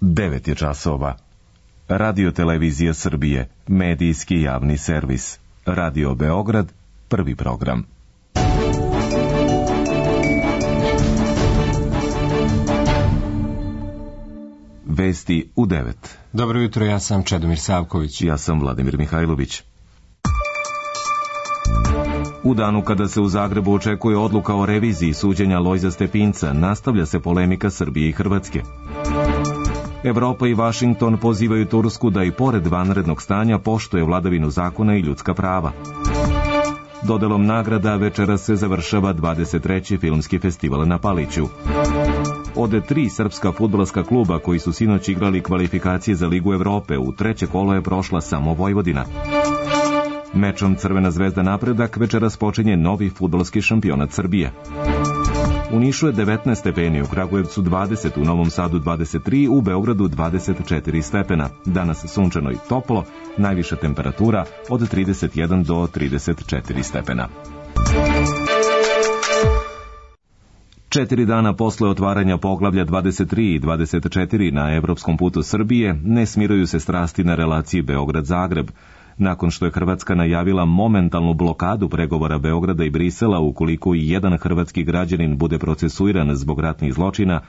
9 je časova. Radio Televizija Srbije, medijski javni servis. Radio Beograd, prvi program. Vesti u 9. Dobro jutro, ja sam Čedomir Savković. Ja sam Vladimir Mihajlović. U danu kada se u Zagrebu očekuje odluka o reviziji suđenja Lojza Stepinca, nastavlja se polemika Srbije i Hrvatske. Evropa i Vašington pozivaju Tursku da i pored vanrednog stanja poštuje vladavinu zakona i ljudska prava. Dodelom nagrada večeras se završava 23. filmski festival na Paliću. Od 3 srpska fudbalska kluba koji su sinoć igrali kvalifikacije za Ligu Evrope, u treće kolo je prošla samo Vojvodina. Mečom Crvena zvezda Napredak večeras počinje novi fudbalski šampionat Srbije. U Nišu je 19 stepeni, u Kragujevcu 20, u Novom Sadu 23, u Beogradu 24 stepena. Danas sunčano i toplo, najviša temperatura od 31 do 34 stepena. 4 dana posle otvaranja poglavlja 23 i 24 na evropskom putu Srbije, ne smiruju se strasti na relaciji Beograd-Zagreb. Nakon što je Hrvatska najavila momentalnu blokadu pregovora Beograda i Brisela ukoliko i jedan hrvatski građanin bude procesuiran zbog ratnih zločina,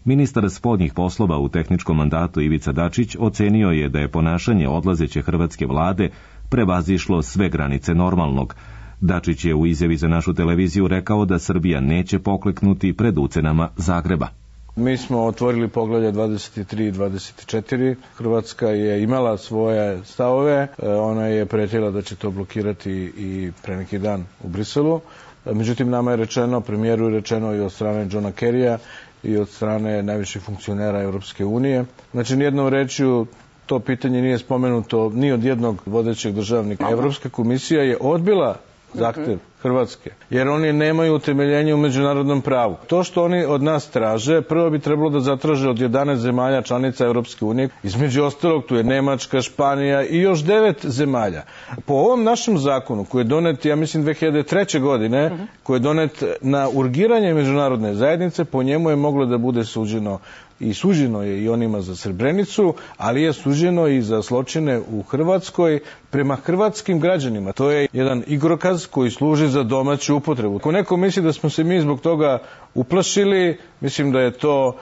ministar spoljnih poslova u tehničkom mandatu Ivica Dačić ocenio je da je ponašanje odlazeće hrvatske vlade prevazišlo sve granice normalnog. Dačić je u izjavi za našu televiziju rekao da Srbija neće pokleknuti pred ucenama Zagreba. Mi smo otvorili poglavlja 23 i 24. Hrvatska je imala svoje stavove. Ona je pretila da će to blokirati i pre neki dan u Briselu. Međutim, nama je rečeno, premijeru je rečeno i od strane Johna Kerrya i od strane najviših funkcionera Europske unije. Znači, nijednom rečju to pitanje nije spomenuto ni od jednog vodećeg državnika. Evropska komisija je odbila zahtev Hrvatske, jer oni nemaju utemeljenje u međunarodnom pravu. To što oni od nas traže, prvo bi trebalo da zatraže od 11 zemalja članica Evropske unije. Između ostalog, tu je Nemačka, Španija i još 9 zemalja. Po ovom našem zakonu, koji je donet, ja mislim, 2003. godine, koji je donet na urgiranje međunarodne zajednice, po njemu je moglo da bude suđeno i suđeno je i onima za Srebrenicu, ali je suđeno i za zločine u Hrvatskoj prema hrvatskim građanima. To je jedan igrokaz koji služi za domaću upotrebu. Ako neko misli da smo se mi zbog toga uplašili, mislim da je to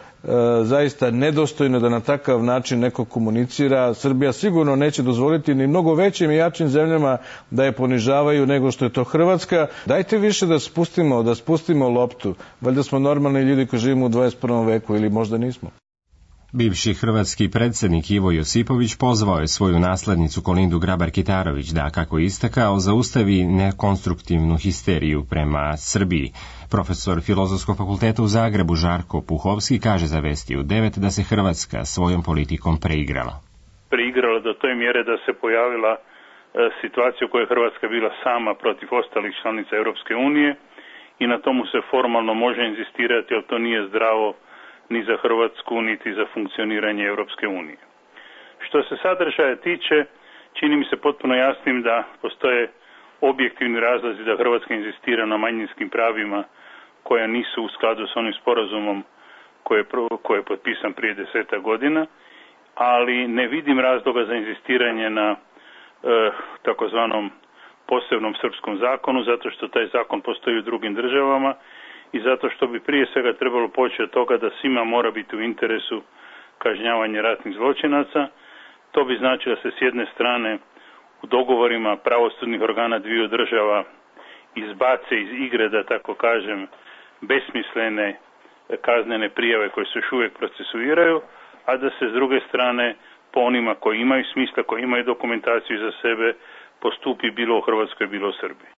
zaista nedostojno da na takav način neko komunicira. Srbija sigurno neće dozvoliti ni mnogo većim i jačim zemljama da je ponižavaju nego što je to Hrvatska. Dajte više da spustimo loptu. Valjda smo normalni ljudi koji živimo u 21. veku ili možda nismo. Bivši hrvatski predsjednik Ivo Josipović pozvao je svoju naslednicu Kolindu Grabar-Kitarović da, kako je istakao, zaustavi nekonstruktivnu histeriju prema Srbiji. Profesor Filozofskog fakulteta u Zagrebu Žarko Puhovski kaže za Vesti u 9 da se Hrvatska svojom politikom preigrala. Preigrala do toj mjere da se pojavila situacija u kojoj je Hrvatska bila sama protiv ostalih članica Europske unije i na tomu se formalno može inzistirati, ali to nije zdravo ni za Hrvatsku, niti za funkcioniranje Europske unije. Što se sadržaja tiče, čini mi se potpuno jasnim da postoje objektivni razlozi da Hrvatska inzistira na manjinskim pravima koja nisu u skladu s onim sporazumom koji je potpisan prije 10 godina, ali ne vidim razloga za inzistiranje na takozvanom posebnom srpskom zakonu, zato što taj zakon postoji u drugim državama i zato što bi prije svega trebalo poći od toga da svima mora biti u interesu kažnjavanje ratnih zločinaca. To bi značilo da se s jedne strane u dogovorima pravosudnih organa dviju država izbace iz igre, da tako kažem, besmislene kaznene prijave koje se još uvijek procesuiraju, a da se s druge strane po onima koji imaju smisla, koji imaju dokumentaciju za sebe, postupi bilo u Hrvatskoj, bilo u Srbiji.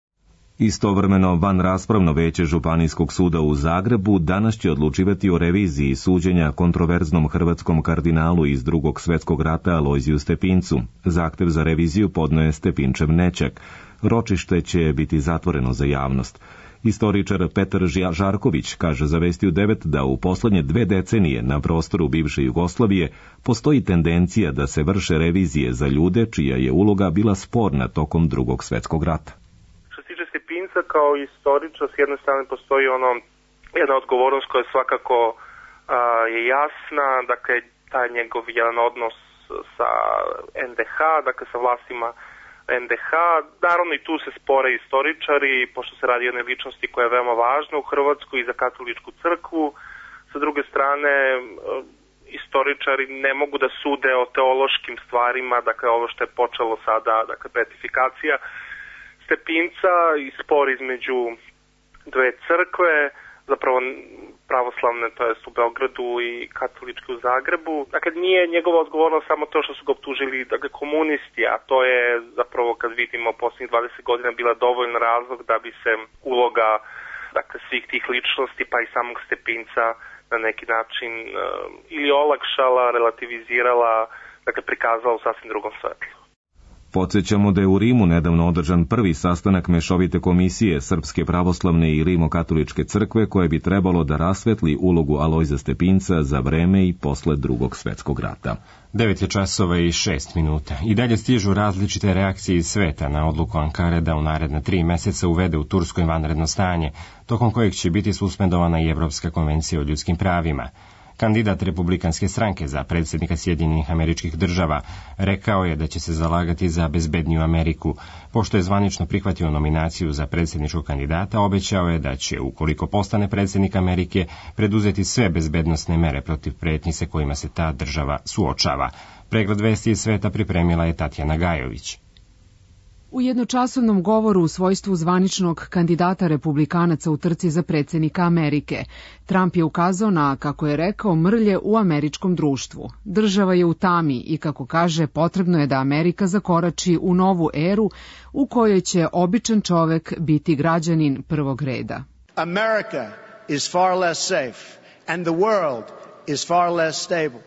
Istovremeno, vanraspravno veće Županijskog suda u Zagrebu danas će odlučivati o reviziji suđenja kontroverznom hrvatskom kardinalu iz Drugog svjetskog rata Alojziju Stepincu. Zahtev za reviziju podno je Stepinčev nećak. Ročište će biti zatvoreno za javnost. Istoričar Petar Žarković kaže za Vesti u 9 da u poslednje 2 decenije na prostoru bivše Jugoslavije postoji tendencija da se vrše revizije za ljude čija je uloga bila sporna tokom Drugog svjetskog rata. Stepinca kao istoričar, s jedne strane postoji jedna odgovornost koja svakako je jasna, dakle taj njegov jedan odnos sa NDH, dakle sa vlastima NDH. Naravno i tu se spore istoričari, pošto se radi o jednoj ličnosti koja je veoma važna u Hrvatskoj i za katoličku crkvu. Sa druge strane, istoričari ne mogu da sude o teološkim stvarima, dakle ovo što je počelo sada, dakle beatifikacija Stepinca i spor između dve crkve, zapravo pravoslavne, to jest u Beogradu i katoličke u Zagrebu. Dakle, nije njegova odgovornost samo to što su ga optužili, dakle, komunisti, a to je zapravo, kad vidimo, posljednjih 20 godina bila dovoljna razlog da bi se uloga, dakle, svih tih ličnosti, pa i samog Stepinca na neki način ili olakšala, relativizirala, dakle, prikazala u sasvim drugom svetlu. Podsjećamo da je u Rimu nedavno održan prvi sastanak mešovite komisije Srpske pravoslavne i Rimokatoličke crkve koje bi trebalo da rasvetli ulogu Alojza Stepinca za vreme i posle Drugog svetskog rata. 9:06. I dalje stižu različite reakcije iz sveta na odluku Ankare da u naredna 3 meseca uvede u Turskoj vanredno stanje, tokom kojeg će biti suspendovana i Evropska konvencija o ljudskim pravima. Kandidat Republikanske stranke za predsjednika Sjedinjenih Američkih Država rekao je da će se zalagati za bezbedniju Ameriku. Pošto je zvanično prihvatio nominaciju za predsjedničkog kandidata, obećao je da će, ukoliko postane predsjednik Amerike, preduzeti sve bezbednosne mere protiv pretnji sa kojima se ta država suočava. Pregled vesti iz sveta pripremila je Tatjana Gajović. U jednočasovnom govoru u svojstvu zvaničnog kandidata republikanaca u trci za predsjednika Amerike, Trump je ukazao na, kako je rekao, mrlje u američkom društvu. Država je u tami i, kako kaže, potrebno je da Amerika zakorači u novu eru u kojoj će običan čovek biti građanin prvog reda. America is far less safe and the world is far less stable.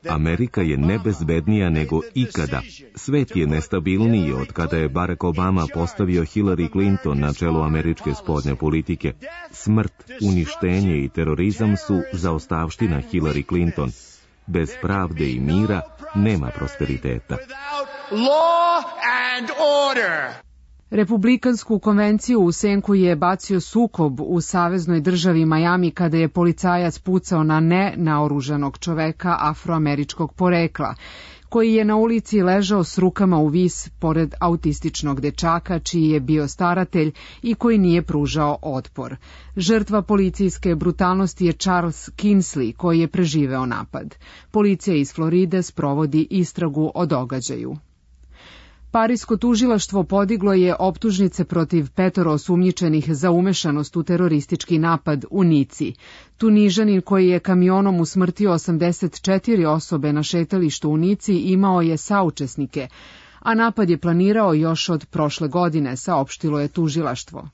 Amerika je nebezbednija nego ikada. Svet je nestabilniji od kada je Barack Obama postavio Hillary Clinton na čelo američke spoljne politike. Smrt, uništenje i terorizam su zaostavština Hillary Clinton. Bez pravde i mira nema prosperiteta. Republikansku konvenciju u senku je bacio sukob u saveznoj državi Miami kada je policajac pucao na nenaoružanog čoveka afroameričkog porekla, koji je na ulici ležao s rukama u vis pored autističnog dečaka, čiji je bio staratelj i koji nije pružao otpor. Žrtva policijske brutalnosti je Charles Kinsley, koji je preživeo napad. Policija iz Floride sprovodi istragu o događaju. Parisko tužilaštvo podiglo je optužnice protiv 5 osumnjičenih za umešanost u teroristički napad u Nici. Tunižanin koji je kamionom usmrtio 84 osobe na šetalištu u Nici imao je saučesnike, a napad je planirao još od prošle godine, saopštilo je tužilaštvo.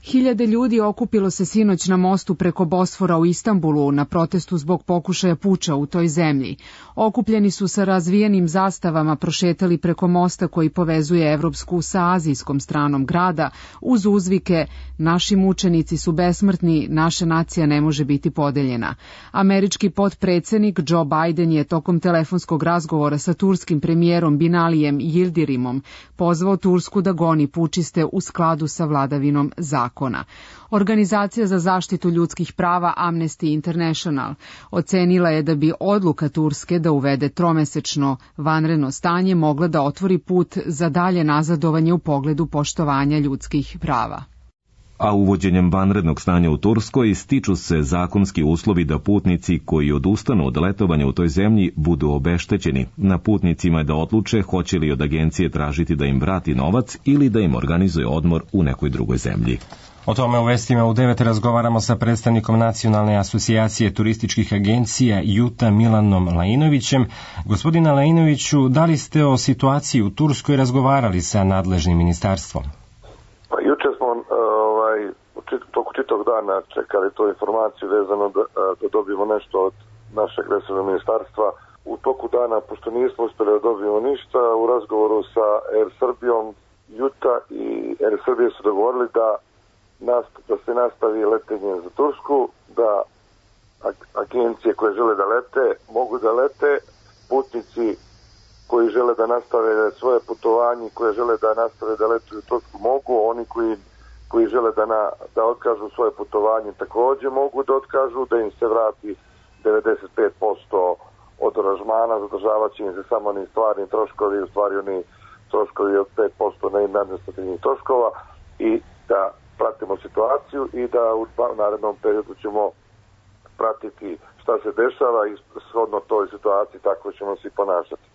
Hiljade ljudi okupilo se sinoć na mostu preko Bosfora u Istanbulu na protestu zbog pokušaja puča u toj zemlji. Okupljeni su sa razvijenim zastavama prošetali preko mosta koji povezuje Evropsku sa azijskom stranom grada uz uzvike "Naši mučenici su besmrtni, naša nacija ne može biti podeljena". Američki potpredsjednik Joe Biden je tokom telefonskog razgovora sa turskim premijerom Binalijem Yildirimom pozvao Tursku da goni pučiste u skladu sa vladavinom zakona. Organizacija za zaštitu ljudskih prava Amnesty International ocenila je da bi odluka Turske da uvede 3-mesečno vanredno stanje mogla da otvori put za dalje nazadovanje u pogledu poštovanja ljudskih prava. A uvođenjem vanrednog stanja u Turskoj stiču se zakonski uslovi da putnici koji odustanu od letovanja u toj zemlji budu obeštećeni. Na putnicima je da odluče hoće li od agencije tražiti da im vrati novac ili da im organizuje odmor u nekoj drugoj zemlji. O tome u vestima u 9 razgovaramo sa predstavnikom Nacionalne asocijacije turističkih agencija JUTA Milanom Lainovićem. Gospodina Lainoviću, da li ste o situaciji u Turskoj razgovarali sa nadležnim ministarstvom? Pa juče smo toku čitog dana čekali tu informaciju vezano da dobijemo nešto od našeg resornog ministarstva. U toku dana, pošto nismo uspjeli da dobijemo ništa, u razgovoru sa Air Srbijom, JUTA i Air Srbije su dogovorili da se nastavi letenje za Tursku, da agencije koje žele da lete mogu da lete, putnici koji žele da nastave svoje putovanje, koje žele da nastave da letuju u Tursku mogu, oni koji žele da otkažu svoje putovanje također mogu da otkažu, da im se vrati 95% od od aranžmana, zadržavat će im se samo oni stvarni troškovi, u stvari oni troškovi od 5% administrativnih troškova i da pratimo situaciju i da u narednom periodu ćemo pratiti šta se dešava i shodno toj situaciji tako ćemo se i ponašati.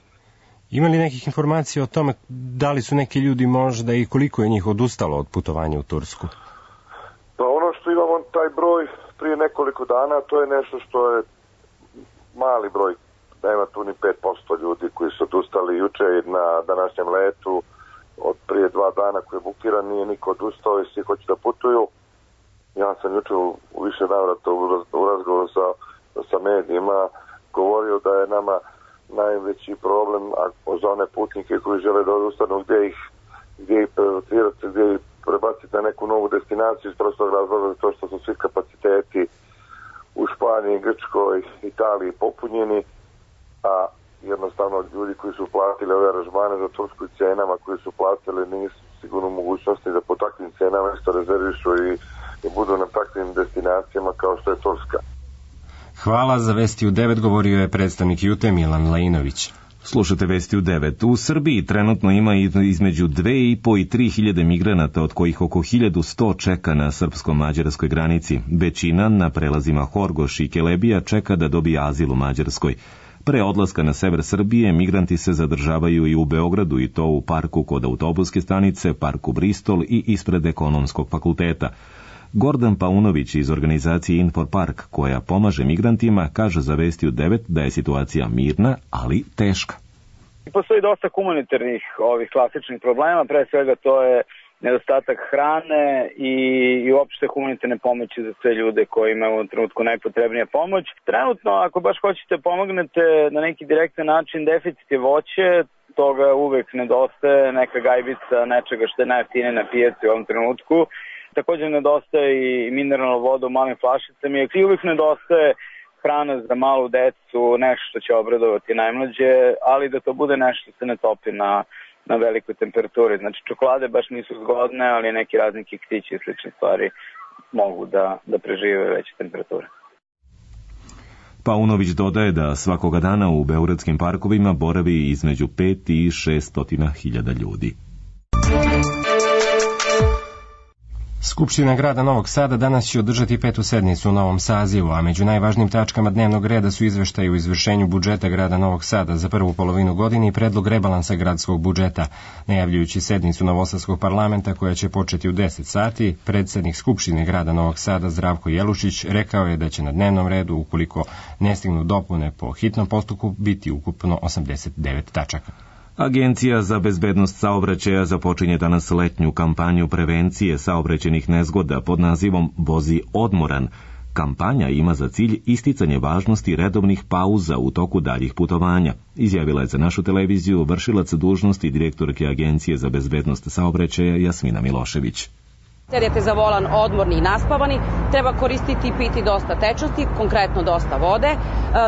Ima li nekih informacija o tome da li su neki ljudi možda i koliko je njih odustalo od putovanja u Tursku? Pa ono što imamo taj broj prije nekoliko dana, to je nešto što je mali broj, nema tu ni 5% ljudi koji su odustali juče na današnjem letu od prije 2 dana koji je bukiran, nije niko odustao i svi hoće da putuju. Ja sam juče u više navrata u razgovoru sa medijima govorio da je nama najveći problem za one putnike koji žele da odustanu gdje ih prelocirati, gdje ih prebaciti na neku novu destinaciju iz prostog razloga to što su svi kapaciteti u Španiji, Grčkoj, Italiji popunjeni, a jednostavno ljudi koji su platili ove aranžmane za Tursku i cenama koji su platili nisu sigurno mogućnosti da po takvim cenama isto rezervišu i budu na takvim destinacijama kao što je Turska. Hvala. Za Vesti u 9 govorio je predstavnik Jute Milan Lajinović. Slušate Vesti u 9. U Srbiji trenutno ima između 2.500 i 3.000 migranata, od kojih oko 1.100 čeka na srpsko-mađarskoj granici. Većina na prelazima Horgoš i Kelebija čeka da dobije azil u Mađarskoj. Pre odlaska na sever Srbije, migranti se zadržavaju i u Beogradu, i to u parku kod autobuske stanice, parku Bristol i ispred Ekonomskog fakulteta. Gordan Paunović iz organizacije Infopark, koja pomaže migrantima, kaže za Vesti u 9 da je situacija mirna, ali teška. Postoji dosta humanitarnih ovih klasičnih problema, pre svega to je nedostatak hrane i uopšte humanitarne pomoći za sve ljude koji imaju u ovom trenutku najpotrebnija pomoć. Trenutno, ako baš hoćete pomognete na neki direktan način, deficit je voće, toga uvek nedostaje, neka gajbica nečega što je najjeftinije na pijaci u ovom trenutku. Također nedostaje i mineralna voda u malim flašicama i uvijek nedostaje hrana za malu decu, nešto što će obradovati najmlađe, ali da to bude nešto što se ne topi na velikoj temperaturi. Znači čokolade baš nisu zgodne, ali neki razni kektići i slične stvari mogu da prežive veće temperature. Paunović dodaje da svakoga dana u beogradskim parkovima boravi između 5 i 600.000 ljudi. Skupština grada Novog Sada danas će održati 5. sednicu u novom sazivu, a među najvažnijim tačkama dnevnog reda su izveštaji o izvršenju budžeta grada Novog Sada za prvu polovinu godine i predlog rebalansa gradskog budžeta. Najavljujući sednicu Novosadskog parlamenta koja će početi u 10 sati, predsednik Skupštine grada Novog Sada Zdravko Jelušić rekao je da će na dnevnom redu, ukoliko ne stignu dopune po hitnom postupku, biti ukupno 89 tačaka. Agencija za bezbednost saobraćaja započinje danas letnju kampanju prevencije saobraćajnih nezgoda pod nazivom Vozi odmoran. Kampanja ima za cilj isticanje važnosti redovnih pauza u toku daljih putovanja, izjavila je za našu televiziju vršilac dužnosti direktorke Agencije za bezbednost saobraćaja Jasmina Milošević. Sedete za volan odmorni i naspavani, treba koristiti i piti dosta tečnosti, konkretno dosta vode.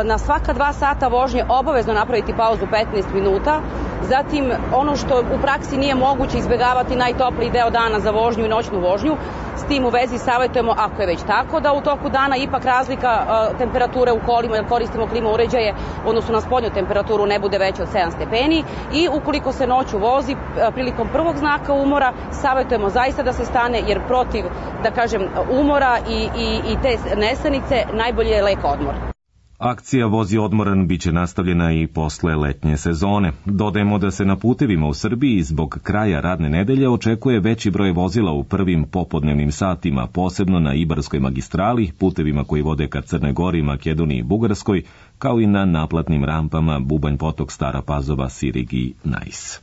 Na svaka 2 sata vožnje obavezno napraviti pauzu 15 minuta. Zatim, ono što u praksi nije moguće, izbjegavati najtopliji deo dana za vožnju i noćnu vožnju. S tim u vezi savjetujemo, ako je već tako, da u toku dana ipak razlika temperature u kolima, jer koristimo klima uređaje, odnosno na spoljnu temperaturu ne bude veća od 7 stepeni. I ukoliko se noću vozi, prilikom prvog znaka umora, savjetujemo zaista da se stane, jer protiv, da kažem, umora i te nesanice najbolje je lek odmor. Akcija Vozi odmoran biće nastavljena i posle letnje sezone. Dodajemo da se na putevima u Srbiji zbog kraja radne nedelje očekuje veći broj vozila u prvim popodnevnim satima, posebno na Ibarskoj magistrali, putevima koji vode ka Crnoj Gori, Makedoniji i Bugarskoj, kao i na naplatnim rampama Bubanj Potok, Stara Pazova, Sirig i Najs.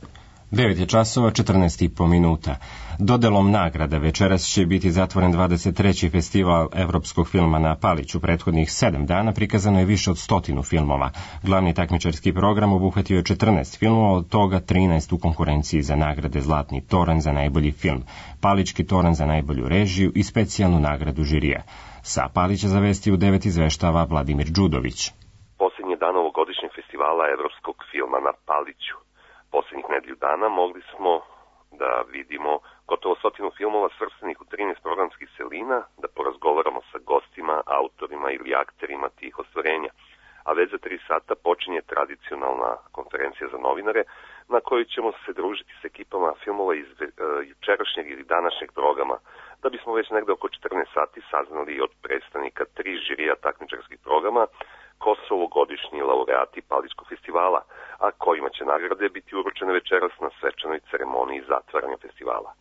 9 je časova, 14,5 minuta. Dodelom nagrada večeras će biti zatvoren 23. festival evropskog filma na Paliću. Prethodnih 7 dana prikazano je više od 100 filmova. Glavni takmičarski program obuhvatio je 14 filmova, od toga 13 u konkurenciji za nagrade Zlatni toranj za najbolji film, Palićki toranj za najbolju režiju i specijalnu nagradu žirija. Sa Palića za Vesti u 9 izveštava Vladimir Đudović. Posljednji dan ovogodišnjeg festivala evropskog filma na Paliću. Posljednjih nedelju dana mogli smo da vidimo gotovo 100 filmova svrstanih u 13 programskih celina, da porazgovaramo sa gostima, autorima ili akterima tih ostvarenja. a već za 3 sata počinje tradicionalna konferencija za novinare na kojoj ćemo se družiti s ekipama filmova iz jučerašnjeg ili današnjeg programa, da bismo već negde oko 14 sati saznali od predstavnika 3 žirija takmičarskih programa ko su ovogodišnji laureati Palićkog festivala, a kojima će nagrade biti uručene večeras na svečanoj ceremoniji zatvaranja festivala.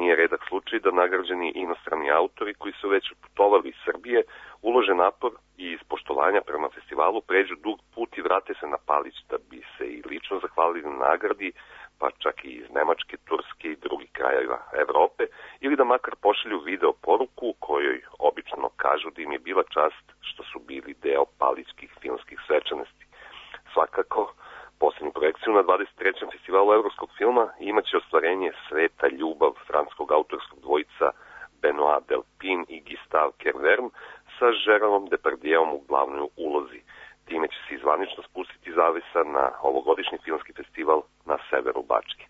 Nije redak slučaj da nagrađeni inostrani autori koji su već putovali iz Srbije ulože napor i iz poštovanja prema festivalu pređu dug put i vrate se na Palić da bi se i lično zahvalili na nagradi, pa čak i iz Nemačke, Turske i drugih krajeva Evrope, ili da makar pošalju video poruku kojoj obično kažu da im je bila čast što su bili deo palićkih filmskih svečanosti. Svakako, poslednju projekciju na 23. festivalu evropskog filma imaće ostvarenje Sveta ljubav francuskog autorskog dvojica Benoit Delpin i Gustave Kervern sa Gérardom Depardieuom u glavnoj ulozi. Time će se zvanično spustiti zavesa na ovogodišnji filmski festival na severu Bačke.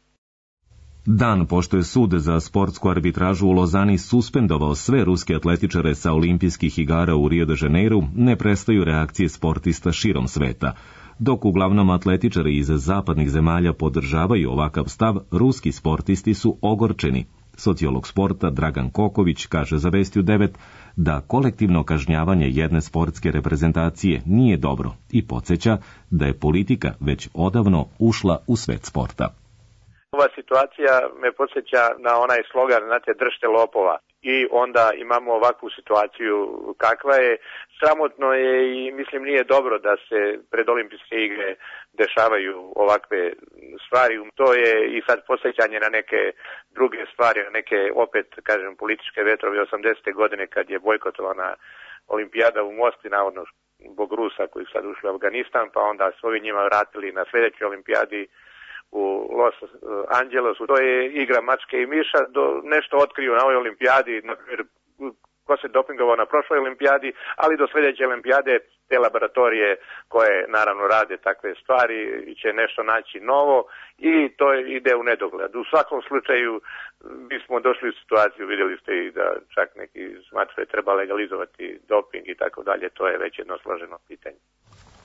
Dan pošto je sud za sportsku arbitražu u Lozani suspendovao sve ruske atletičare sa olimpijskih igara u Rio de Janeiru, ne prestaju reakcije sportista širom sveta. Dok uglavnom atletičari iz zapadnih zemalja podržavaju ovakav stav, ruski sportisti su ogorčeni. Sociolog sporta Dragan Koković kaže za Vestiju 9 da kolektivno kažnjavanje jedne sportske reprezentacije nije dobro i podsjeća da je politika već odavno ušla u svet sporta. Ova situacija me podsjeća na onaj slogan, znate, držte lopova. I onda imamo ovakvu situaciju kakva je. Sramotno je i mislim nije dobro da se pred olimpijske igre dešavaju ovakve stvari. To je i sad podsjećanje na neke druge stvari, na neke opet, kažem, političke vetrove 80. godine kad je bojkotovana olimpijada u Mosti, navodno zbog Rusa koji sad ušli u Afganistan, pa onda su ovi njima vratili na sljedećoj olimpijadi u Los Angelesu. To je igra mačke i miša, nešto otkriju na ovoj olimpijadi, na primjer ko se dopingovao na prošloj olimpijadi, ali do sljedeće olimpijade te laboratorije koje naravno rade takve stvari će nešto naći novo i to ide u nedogled. U svakom slučaju bismo došli u situaciju, vidjeli ste i da čak neki smatraju treba legalizovati doping i tako dalje, to je već jedno složeno pitanje.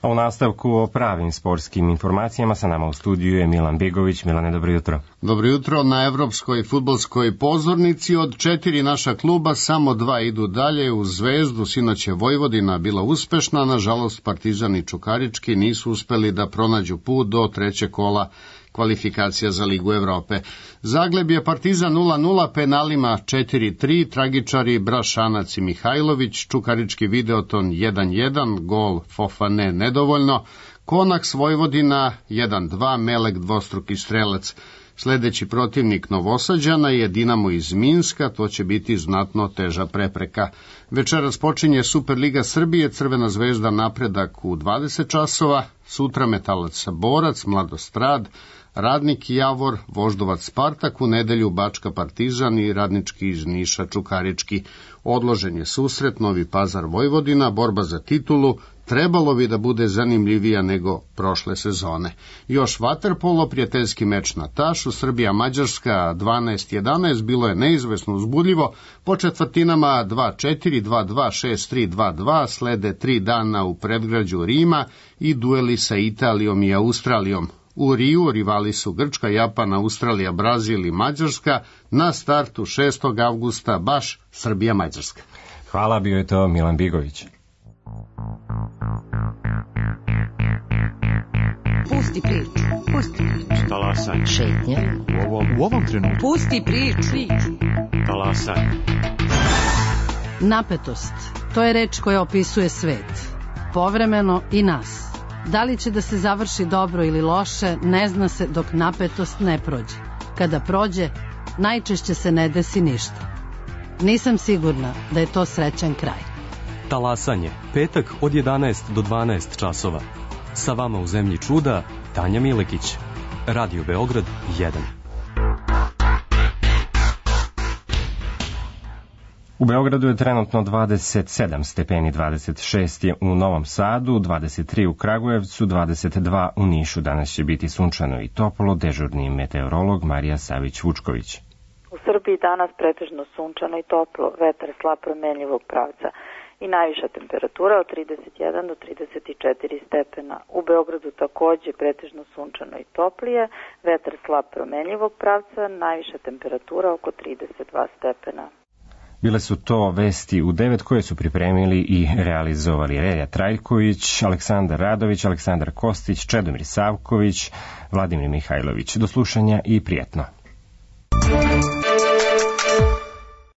A u nastavku o pravim sportskim informacijama sa nama u studiju je Milan Begović. Milane, dobro jutro. Dobro jutro. Na evropskoj fudbalskoj pozornici od 4 naša kluba samo 2 idu dalje u Zvezdu. Sinoć je Vojvodina bila uspešna, nažalost Partizan i Čukarički nisu uspeli da pronađu put do 3. kola kvalifikacija za Ligu Evrope. Zagleb je Partizan 0-0, penalima 4-3, tragičari Brašanac i Mihajlović, Čukarički Videoton 1-1, gol Fofane nedovoljno, Konaks Vojvodina 1-2, Melek dvostruki strelac. Sledeći protivnik Novosađana je Dinamo iz Minska, to će biti znatno teža prepreka. Večeras počinje Superliga Srbije, Crvena zvezda Napredak u 20 časova, sutra Metalac Borac, Mladostrad, Radnik Javor, Voždovac Spartak, u nedelju Bačka Partizan i Radnički iz Niša Čukarički. Odložen je susret Novi Pazar Vojvodina, borba za titulu trebalo bi da bude zanimljivija nego prošle sezone. Još vaterpolo, prijateljski meč na Tašu, Srbija-Mađarska 12-11, bilo je neizvesno uzbudljivo, po četvrtinama 2-4, 2-2, 6-3, 2-2, slede 3 dana u predgrađu Rima i dueli sa Italijom i Australijom. U Riju rivali su Grčka, Japan, Australija, Brazil i Mađarska, na startu 6. avgusta baš Srbija-Mađarska. Hvala, bio je to Milan Bigović. Pusti priču. Pusti priču. Talasaj. Šetnja. U ovom trenutku. Pusti priču. Talasaj. Napetost. To je reč koja opisuje svet. Povremeno i nas. Da li će da se završi dobro ili loše, ne zna se dok napetost ne prođe. Kada prođe, najčešće se ne desi ništa. Nisam sigurna da je to srećan kraj. Talasanje, petak od 11 do 12 časova. Sa vama u zemlji čuda, Tanja Milekić. Radio Beograd 1. U Beogradu je trenutno 27 stepeni, 26 je u Novom Sadu, 23 u Kragujevcu, 22 u Nišu. Danas će biti sunčano i toplo, dežurni meteorolog Marija Savić-Vučković. U Srbiji danas pretežno sunčano i toplo, vetar slab promenljivog pravca. i najviša temperatura od 31 do 34 stepena. U Beogradu takođe pretežno sunčano i toplije, vetar slab promenljivog pravca, najviša temperatura oko 32 stepena. Bile su to vesti u 9 koje su pripremili i realizovali Relja Trajković, Aleksandar Radović, Aleksandar Kostić, Čedomir Savković, Vladimir Mihajlović. Do slušanja i prijetno.